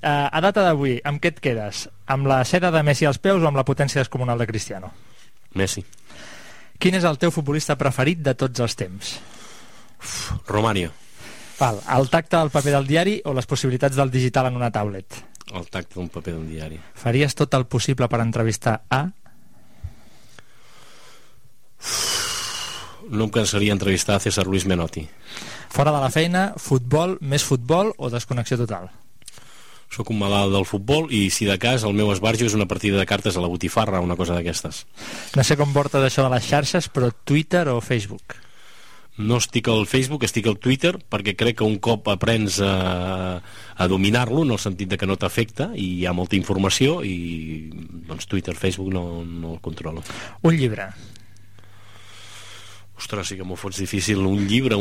A data d'avui, amb què et quedes? Amb la seda de Messi als peus o amb la potència descomunal de Cristiano? Messi. Quin és el teu futbolista preferit de tots els temps? Romario. Val, el tacte del paper del diari o les possibilitats del digital en una tablet? El tacte d'un paper d'un diari. Faries tot el possible per entrevistar a... No em cansaria entrevistar a César Luis Menotti. Fora de la feina, futbol, més futbol o desconnexió total? Soc un malalt del futbol i, si de cas, el meu esbarjo és una partida de cartes a la botifarra, una cosa d'aquestes. No sé com portes això de les xarxes, però Twitter o Facebook? No estic al Facebook, estic al Twitter, perquè crec que un cop aprens a dominar-lo, en el sentit de que no t'afecta i hi ha molta informació, i doncs Twitter, Facebook no el controlo. Un llibre. Ostres, sí que m'ho fots difícil. Un llibre.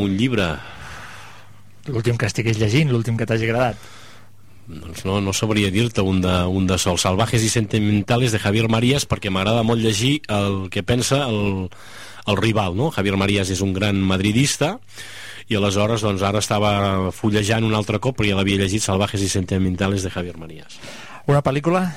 L'últim que estiguis llegint, l'últim que t'hagi agradat. Doncs no sabria dir-te un de sol. Salvajes y sentimentales de Javier Marías, perquè m'agrada molt llegir el que pensa el rival, no? Javier Marías és un gran madridista i aleshores doncs ara estava fullejant un altre cop, però ja l'havia llegit, Salvajes y sentimentales de Javier Marías. Una pel·lícula?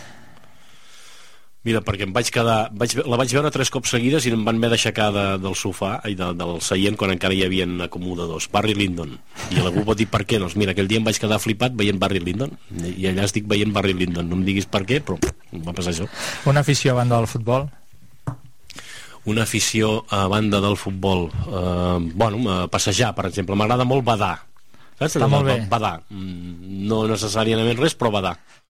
Mira, perquè la vaig veure 3 cops seguides i em van haver d'aixecar del sofà i del seient quan encara hi havia acomodadors. Barry Lyndon. I algú pot dir per què? Doncs mira, aquell dia em vaig quedar flipat veient Barry Lyndon i allà estic veient Barry Lyndon. No em diguis per què, però em va passar això. Una afició a banda del futbol? Una afició a banda del futbol, passejar, per exemple. M'agrada molt badar. Saps? Està molt bé. Badar. No necessàriament res, però badar.